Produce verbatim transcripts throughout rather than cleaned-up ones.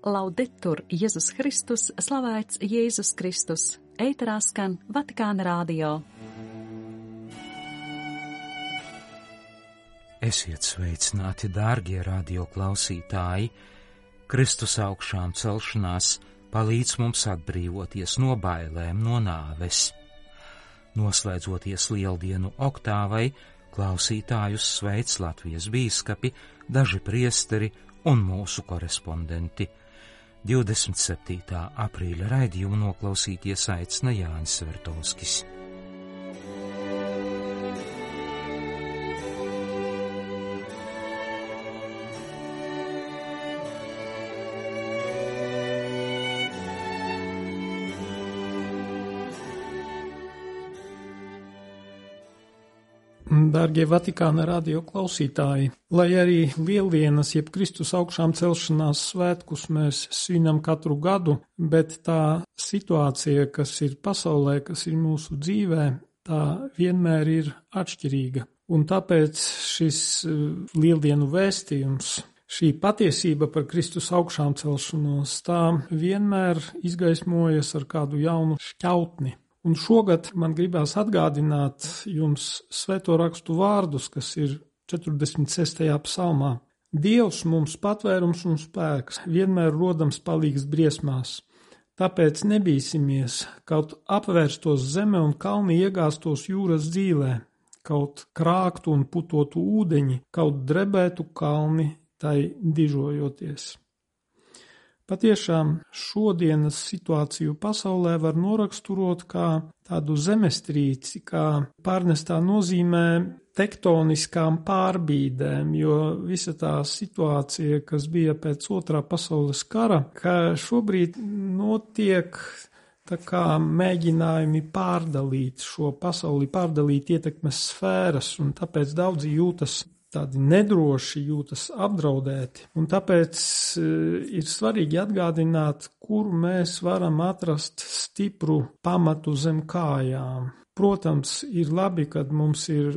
Laudetur Jēzus Kristus, slavēts Jēzus Kristus. Ēterā skan Vatikāna radio. Esiet sveicināti, dārgie radio klausītāji! Kristus augšām celšanās palīdz mums atbrīvoties no bailēm, no nāves. Noslēdzoties lieldienu oktāvai, klausītājus sveic Latvijas bīskapi, daži priesteri un mūsu korespondenti. divdesmit septītā aprīļa raidījumu noklausīties aicina Jānis Svertovskis. Dārgie Vatikāna radio klausītāji, lai arī Lieldienas, jeb Kristus augšām celšanās svētkus mēs svinam katru gadu, bet tā situācija, kas ir pasaulē, kas ir mūsu dzīvē, tā vienmēr ir atšķirīga. Un tāpēc šis Lieldienu vēstījums, šī patiesība par Kristus augšām celšanos, tā vienmēr izgaismojas ar kādu jaunu šķautni. Un šogad man gribās atgādināt jums svēto rakstu vārdus, kas ir četrdesmit sestajā psalmā. Dievs mums patvērums un spēks, vienmēr rodams palīgs briesmās. Tāpēc nebīsimies, kaut apvērstos zeme un kalni iegāstos jūras dzīlē, kaut krāktu un putotu ūdeņi, kaut drebētu kalni tai dižojoties. Patiešām šodienas situāciju pasaulē var noraksturot kā tādu zemestrīci, kā pārnestā nozīmē tektoniskām pārbīdēm, jo visa tā situācija, kas bija pēc otrā pasaules kara, ka šobrīd notiek tā kā mēģinājumi pārdalīt šo pasauli, pārdalīt ietekmes sfēras, un tāpēc daudzi jūtas tādi nedroši, jūtas apdraudēti. Un tāpēc ir svarīgi atgādināt, kur mēs varam atrast stipru pamatu zem kājām. Protams, ir labi, kad mums ir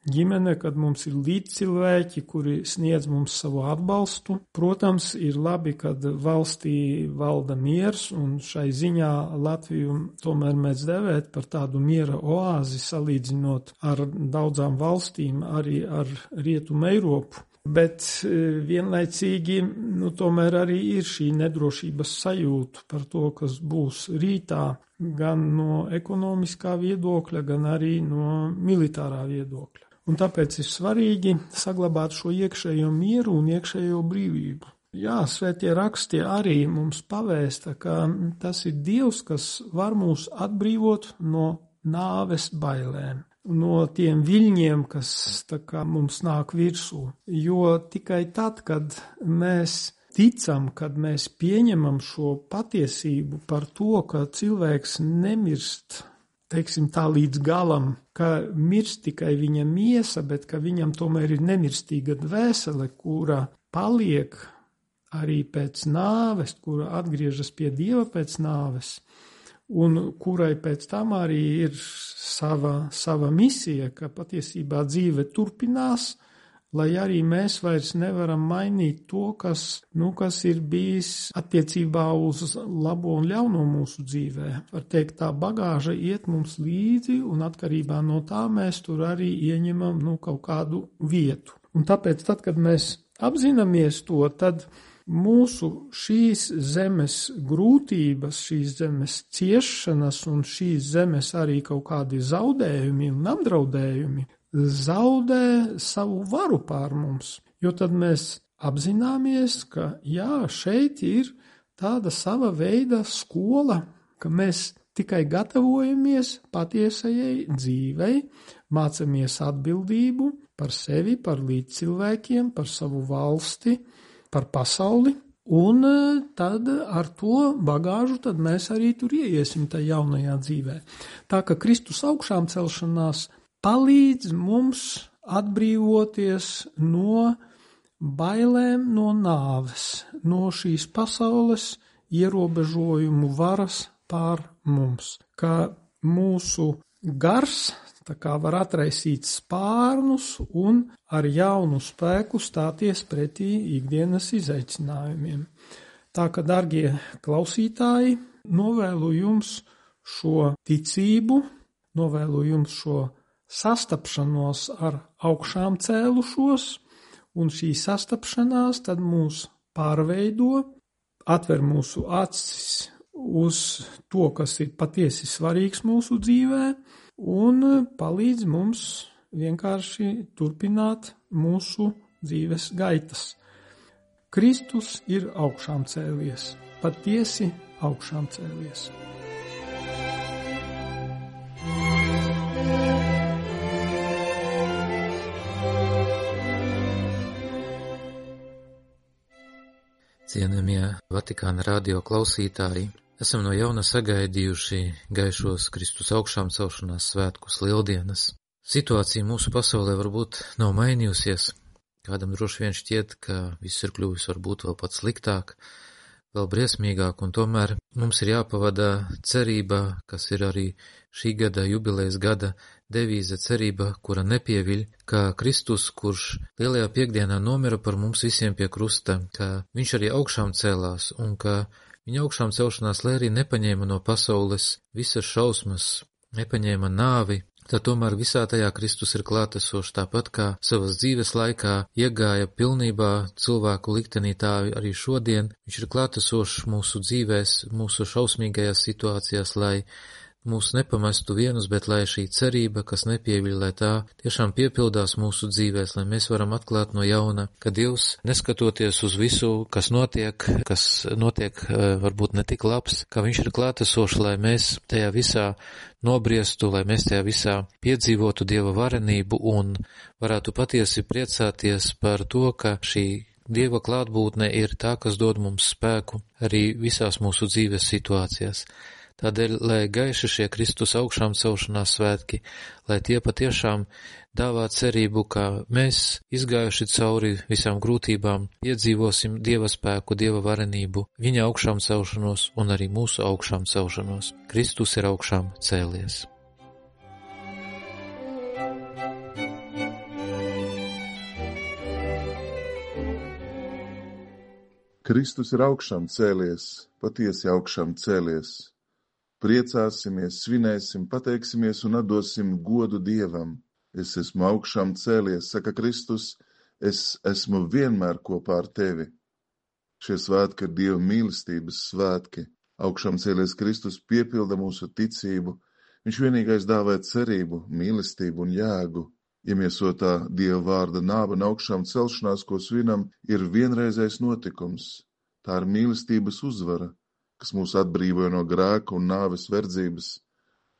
ģimene, kad mums ir līdzcilvēki, kuri sniedz mums savu atbalstu. Protams, ir labi, kad valstī valda miers, un šai ziņā Latviju tomēr mēs devēt par tādu miera oāzi, salīdzinot ar daudzām valstīm, arī ar Rietumu Eiropu. Bet vienlaicīgi, nu, tomēr arī ir šī nedrošības sajūta par to, kas būs rītā, gan no ekonomiskā viedokļa, gan arī no militārā viedokļa. Un tāpēc ir svarīgi saglabāt šo iekšējo mieru un iekšējo brīvību. Jā, svētie raksti arī mums pavēsta, ka tas ir Dievs, kas var mūs atbrīvot no nāves bailēm, no tiem viļņiem, kas tā kā mums nāk virsū. Jo tikai tad, kad mēs ticam, kad mēs pieņemam šo patiesību par to, ka cilvēks nemirst, teiksim tā līdz galam, ka mirst tikai viņa miesa, bet ka viņam tomēr ir nemirstīga dvēsele, kura paliek arī pēc nāves, kura atgriežas pie Dieva pēc nāves, un kurai pēc tam arī ir sava, sava misija, ka patiesībā dzīve turpinās, lai arī mēs vairs nevaram mainīt to, kas, nu, kas ir bijis attiecībā uz labo un ļauno mūsu dzīvē. Var teikt, tā bagāža iet mums līdzi, un atkarībā no tā mēs tur arī ieņemam, nu, kaut kādu vietu. Un tāpēc, tad, kad mēs apzināmies to, tad mūsu šīs zemes grūtības, šīs zemes ciešanas un šīs zemes arī kaut kādi zaudējumi un apdraudējumi zaudē savu varu pār mums, jo tad mēs apzināmies, ka jā, šeit ir tāda sava veida skola, ka mēs tikai gatavojamies patiesajai dzīvei, mācamies atbildību par sevi, par līdzcilvēkiem, par savu valsti, par pasauli, un tad ar to bagāžu tad mēs arī tur ieiesim tajā jaunajā dzīvē. Tā ka Kristus augšām celšanās palīdz mums atbrīvoties no bailēm, no nāves, no šīs pasaules ierobežojumu varas pār mums, ka mūsu gars tā kā var atraisīt spārnus un ar jaunu spēku stāties pretī ikdienas izaicinājumiem. Tā ka, dargie klausītāji, novēlu jums šo ticību, novēlu jums šo sastapšanos ar augšām cēlušos, un šī sastapšanās tad mūs pārveido, atver mūsu acis uz to, kas ir patiesi svarīgs mūsu dzīvē, un palīdz mums vienkārši turpināt mūsu dzīves gaitas. Kristus ir augšām cēlies, patiesi augšām cēlies. Cienījamie Vatikāna radio klausītāji, esam no jauna sagaidījuši gaišos Kristus augšām celšanās svētkus lieldienas. Situācija mūsu pasaulē varbūt nav mainījusies. Kādam droši vien šķiet, ka viss ir kļuvis varbūt vēl pat sliktāk, vēl briesmīgāk, un tomēr mums ir jāpavada cerība, kas ir arī šī gada jubilejas gada devīze, cerība, kura nepieviļ, ka Kristus, kurš lielajā piekdienā nomira par mums visiem pie krusta, ka viņš arī augšām cēlās, un ka viņa augšām celšanās, lai arī nepaņēma no pasaules visas šausmas, nepaņēma nāvi, tad tomēr visā tajā Kristus ir klātesošs, tāpat kā savas dzīves laikā iegāja pilnībā cilvēku liktenī, tā arī šodien viņš ir klātesošs mūsu dzīvēs, mūsu šausmīgajās situācijās, lai mūs nepamestu vienus, bet lai šī cerība, kas nepieviļ, lai tā tiešām piepildās mūsu dzīvēs, lai mēs varam atklāt no jauna, ka Dievs, neskatoties uz visu, kas notiek, kas notiek varbūt ne tik labs, ka viņš ir klātesošs, lai mēs tajā visā nobriestu, lai mēs tajā visā piedzīvotu Dieva varenību un varētu patiesi priecāties par to, ka šī Dieva klātbūtne ir tā, kas dod mums spēku arī visās mūsu dzīves situācijās. Tādēļ, lai gaiši šie Kristus augšām celšanās svētki, lai tie patiešām dāvā cerību, ka mēs, izgājuši cauri visām grūtībām, piedzīvosim Dieva spēku, Dieva varenību, viņa augšām celšanos un arī mūsu augšām celšanos. Kristus ir augšām cēlies. Kristus ir augšām cēlies, patiesi augšām cēlies. Priecāsimies, svinēsim, pateiksimies un atdosim godu Dievam. Es esmu augšām cēlies, saka Kristus, es esmu vienmēr kopā ar tevi. Šie svētki ir Dieva mīlestības svētki. Augšām cēlies Kristus piepilda mūsu ticību. Viņš vienīgais dāvē cerību, mīlestību un jēgu. Iemiesotā Dieva vārda nāve un augšām celšanās, ko svinam, ir vienreizējs notikums. Tā ir mīlestības uzvara, kas mūs atbrīvoja no grēka un nāves verdzības.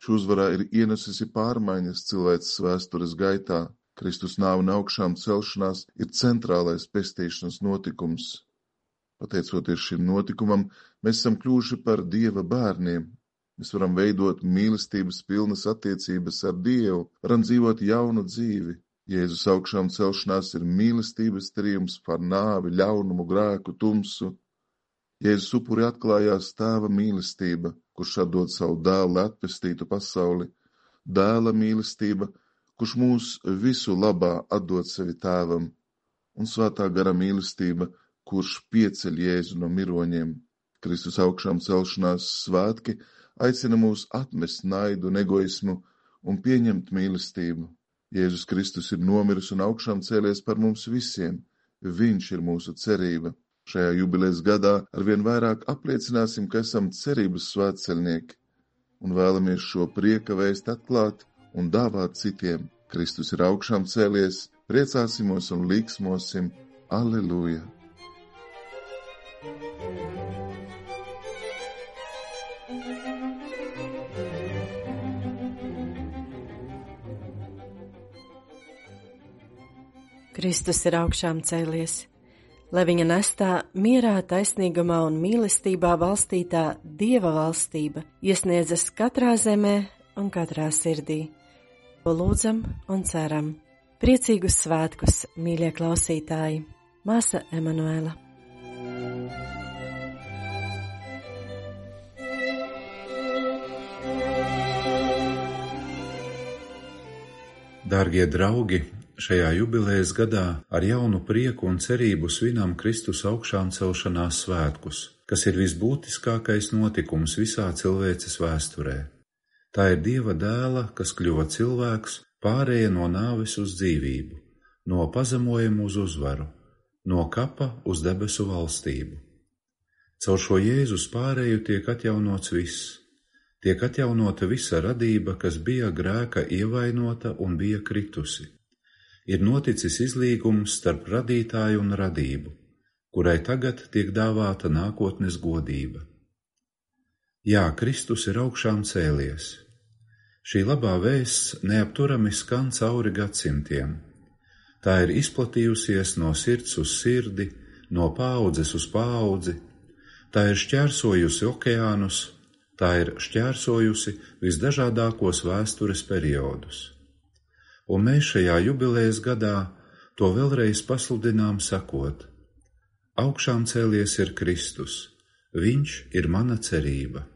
Šī uzvarā ir ienesusi pārmaiņas cilvēces vēstures gaitā. Kristus nāve un augšām celšanās ir centrālais pestīšanas notikums. Pateicoties šim notikumam, mēs esam kļuvuši par Dieva bērniem. Mēs varam veidot mīlestības pilnas attiecības ar Dievu, varam dzīvot jaunu dzīvi. Jēzus augšām celšanās ir mīlestības triumfs par nāvi, ļaunumu, grēku, tumsu. Jēzus upuri atklājās tēva mīlestība, kurš atdod savu dēlu, lai atpestītu pasauli. Dēla mīlestība, kurš mūs visu labā atdod sevi tēvam. Un svētā gara mīlestība, kurš pieceļ Jēzu no miroņiem. Kristus augšām celšanās svētki aicina mūs atmest naidu un egoismu un pieņemt mīlestību. Jēzus Kristus ir nomiris un augšām cēlies par mums visiem. Viņš ir mūsu cerība. Šajā jubilejas gadā arvien vairāk apliecināsim, ka esam cerības svētceļnieki un vēlamies šo prieka vēst atklāt un dāvāt citiem. Kristus ir augšām cēlies, priecāsimos un līksmosim. Alleluja! Kristus ir augšām cēlies. Lai viņa nestā mierā, taisnīgumā un mīlestībā valstītā Dieva valstība iesniedzas katrā zemē un katrā sirdī. To lūdzam un ceram. Priecīgus svētkus, mīļie klausītāji! Māsa Emanuela. Dārgie draugi! Šajā jubilejas gadā ar jaunu prieku un cerību svinām Kristus augšām celšanās svētkus. kas ir visbūtiskākais notikums visā cilvēces vēsturē. Tā ir Dieva dēla, kas kļuva cilvēks, pārēja no nāves uz dzīvību, no pazemojuma uz uzvaru, no kapa uz debesu valstību. Caur šo Jēzus pārēju tiek atjaunots viss, tiek atjaunota visa radība, kas bija grēka ievainota un bija kritusi. Ir noticis izlīgums starp radītāju un radību, kurai tagad tiek dāvāta nākotnes godība. Jā, Kristus ir augšām cēlies. Šī labā vēsts neapturami skan cauri gadsimtiem. Tā ir izplatījusies no sirds uz sirdi, no paaudzes uz paudzi, tā ir šķērsojusi okeānus, tā ir šķērsojusi visdažādākos vēstures periodus. Un mēs šajā jubilejas gadā to vēlreiz pasludinām sakot: augšām cēlies ir Kristus, viņš ir mana cerība.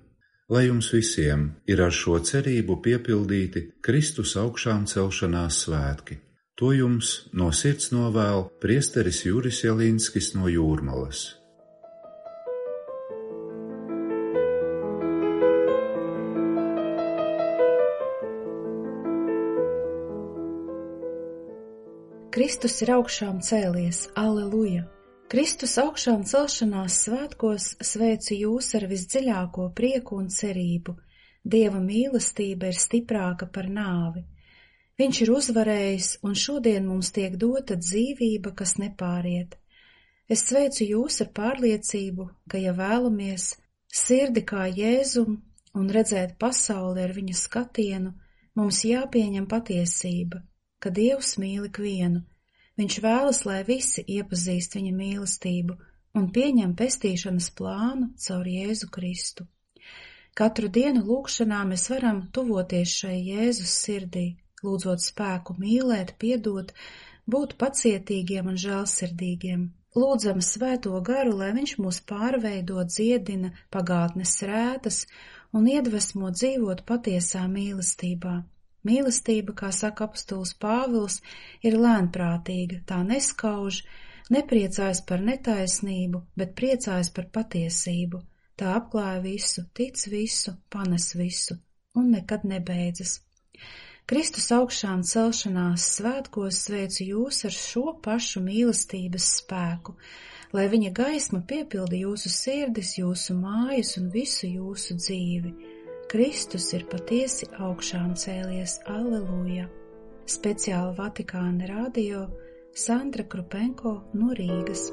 Lai jums visiem ir ar šo cerību piepildīti Kristus augšām celšanās svētki. To jums no sirds novēl priesteris Juris Jelinskis no Jūrmalas. Kristus ir augšām cēlies, alleluja! Kristus augšām celšanās svētkos sveicu jūs ar visdziļāko prieku un cerību. Dieva mīlestība ir stiprāka par nāvi. Viņš ir uzvarējis, un šodien mums tiek dota dzīvība, kas nepāriet. Es sveicu jūs ar pārliecību, ka, ja vēlamies sirdi kā Jēzum un redzēt pasauli ar viņa skatienu, mums jāpieņem patiesība, ka Dievs mīl ikvienu. Viņš vēlas, lai visi iepazīst viņa mīlestību un pieņem pestīšanas plānu caur Jēzu Kristu. Katru dienu lūgšanā mēs varam tuvoties šai Jēzus sirdī, lūdzot spēku mīlēt, piedot, būt pacietīgiem un žēlsirdīgiem. Lūdzam svēto garu, lai viņš mūs pārveido, dziedina pagātnes rētas un iedvesmo dzīvot patiesā mīlestībā. Mīlestība, kā saka apostols Pāvils, ir lēnprātīga, tā neskauž, nepriecājas par netaisnību, bet priecājas par patiesību. Tā apklāja visu, tic visu, panes visu un nekad nebeidzas. Kristus augšām celšanās svētkos sveicu jūs ar šo pašu mīlestības spēku, lai viņa gaisma piepilda jūsu sirdis, jūsu mājas un visu jūsu dzīvi. Kristus ir patiesi augšām cēlies, alleluja! Speciāli Vatikāna radio Sandra Krupenko no Rīgas.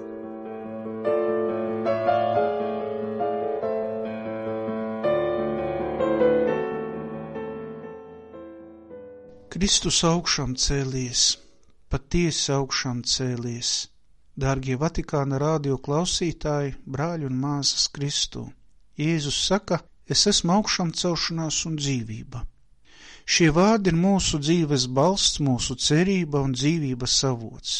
Kristus augšām cēlies, patiesi augšām cēlies. Dārgie Vatikāna radio klausītāji, brāļi un māsas Kristū, Jēzus saka: es esmu augšām celšanās un dzīvība. Šie vārdi ir mūsu dzīves balsts, mūsu cerība un dzīvības avots.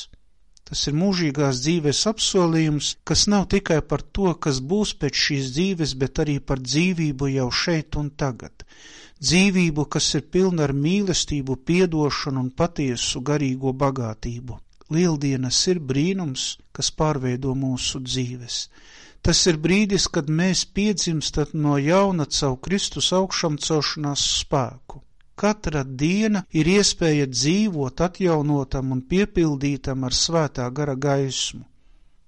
Tas ir mūžīgās dzīves apsolījums, kas nav tikai par to, kas būs pēc šīs dzīves, bet arī par dzīvību jau šeit un tagad. Dzīvību, kas ir pilna ar mīlestību, piedošanu un patiesu garīgo bagātību. Lieldienas ir brīnums, kas pārveido mūsu dzīves. Tas ir brīdis, kad mēs piedzimstat no jauna caur Kristus augšām celšanās spēku. Katra diena ir iespēja dzīvot atjaunotam un piepildītam ar svētā gara gaismu.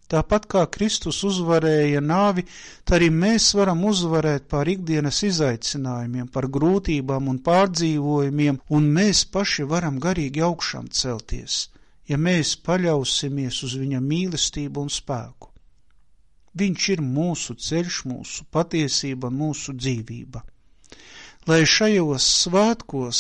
Tāpat kā Kristus uzvarēja nāvi, tā arī mēs varam uzvarēt pār ikdienas izaicinājumiem, par grūtībām un pārdzīvojumiem, un mēs paši varam garīgi augšām celties, ja mēs paļausimies uz viņa mīlestību un spēku. Viņš ir mūsu ceļš, mūsu patiesība un mūsu dzīvība. Lai šajos svētkos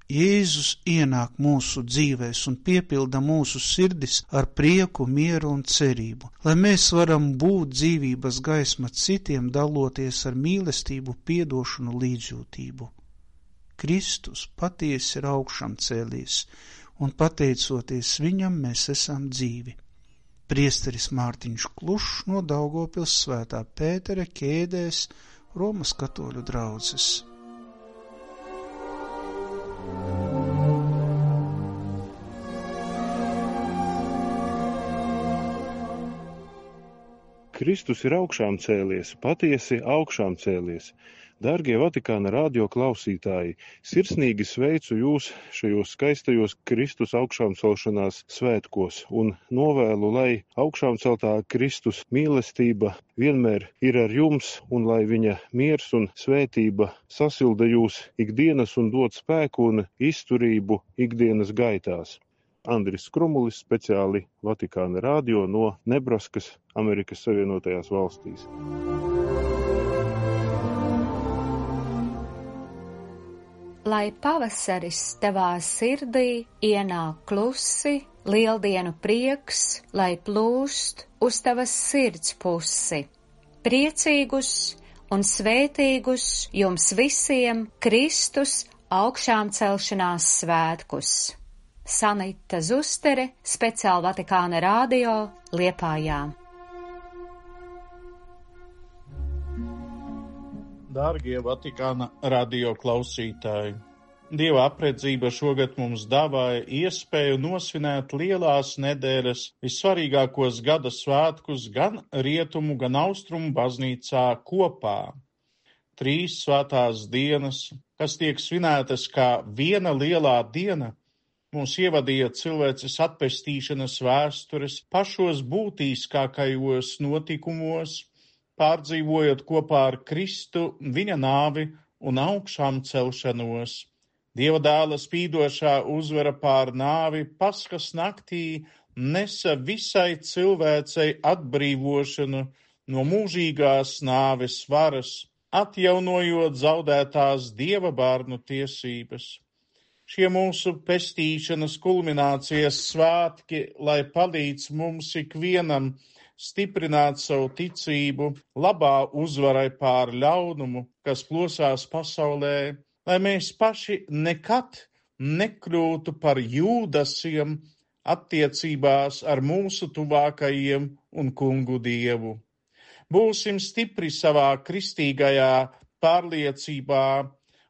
Jēzus ienāk mūsu dzīvēs un piepilda mūsu sirdis ar prieku, mieru un cerību, lai mēs varam būt dzīvības gaisma citiem, daloties ar mīlestību, piedošanu, līdzjūtību. Kristus patiesi ir augšām cēlies, un pateicoties viņam mēs esam dzīvi. Priesteris Mārtiņš Klušs no Daugavpils Svētā Pētera ķēdēs, Romas katoļu draudzes. Kristus ir augšām cēlies, patiesi augšām cēlies. Dārgie Vatikāna radio klausītāji, sirsnīgi sveicu jūs šajos skaistajos Kristus augšām celšanās svētkos un novēlu, lai augšām celtā Kristus mīlestība vienmēr ir ar jums un lai viņa miers un svētība sasilda jūs ikdienas un dod spēku un izturību ikdienas gaitās. Andris Krumulis, speciāli Vatikāna radio no Nebraskas, Amerikas Savienotajās valstīs. Lai pavasaris tavā sirdī ienāk klusi, lieldienu prieks, lai plūst uz tavas sirds pusi. Priecīgus un svētīgus jums visiem Kristus augšām celšanās svētkus. Sanita Zustere, speciāli Vatikāna radio, Liepājā. Dārgie Vatikāna radio klausītāji, Dieva apredzība šogad mums dāvāja iespēju nosvinēt lielās nedēļas vissvarīgākos gada svētkus gan rietumu, gan austrumu baznīcā kopā. Trīs svētās dienas, kas tiek svinētas kā viena lielā diena, mūs ievadīja cilvēces atpestīšanas vēstures pašos būtiskākajos notikumos, pārdzīvojot kopā ar Kristu viņa nāvi un augšām celšanos. Dieva dēla spīdošā uzvara pār nāvi Paskas naktī nesa visai cilvēcei atbrīvošanu no mūžīgās nāves varas, atjaunojot zaudētās Dieva bērnu tiesības. Šie mūsu pestīšanas kulminācijas svētki, lai palīdz mums ikvienam stiprināt savu ticību labā uzvarai pār ļaunumu, kas plosās pasaulē, lai mēs paši nekad nekļūtu par jūdasiem attiecībās ar mūsu tuvākajiem un kungu Dievu. Būsim stipri savā kristīgajā pārliecībā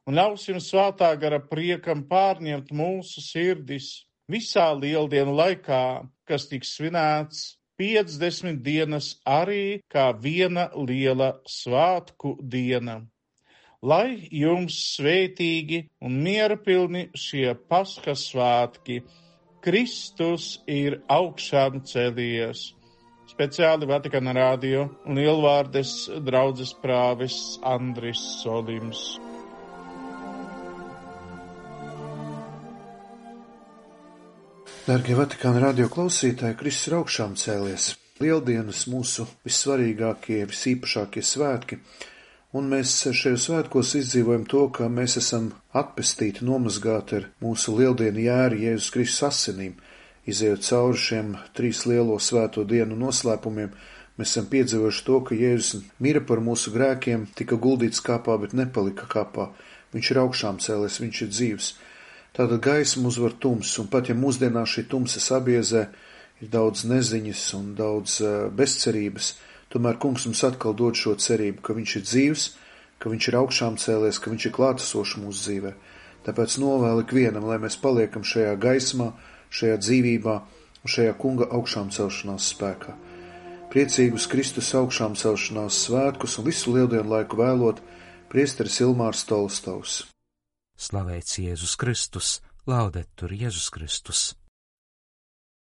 un ļausim svētā gara priekam pārņemt mūsu sirdis visā lieldienu laikā, kas tiks svinēts piecdesmit dienas arī kā viena liela svētku diena. Lai jums svētīgi un mierapilni šie Paskas svētki, Kristus ir augšām cēlies. Speciāli Vatikāna radio un Lielvārdes draudzes prāvis Andris Solims. Dārgie Vatikāna radio klausītāji, Kristus ir augšām cēlies. Lieldienas mūsu vissvarīgākie, visīpašākie svētki, un mēs šajos svētkos izdzīvojam to, ka mēs esam atpestīti, nomazgāti ar mūsu lieldienu jēru Jēzus Kristus asinīm. Izejot cauri šiem trīs lielo svēto dienu noslēpumiem, mēs esam piedzīvojuši to, ka Jēzus mira par mūsu grēkiem, tika guldīts kapā, bet nepalika kapā. Viņš ir augšām cēlies, viņš ir dzīvs. Tātad gaisma uzvar tums, un pat ja mūsdienā šī tumsa sabiezē, ir daudz neziņas un daudz uh, bezcerības, tomēr kungs mums atkal dod šo cerību, ka viņš ir dzīvs, ka viņš ir augšām cēlies, ka viņš ir klātesošs mūsu dzīvē. Tāpēc novēlu ikvienam, lai mēs paliekam šajā gaismā, šajā dzīvībā un šajā kunga augšām celšanās spēkā. Priecīgus Kristus augšām celšanās svētkus un visu lieldienu laiku vēlot priesteris Ilmārs Tolstovs. Slavēts Jēzus Kristus, laudetur Jēzus Kristus.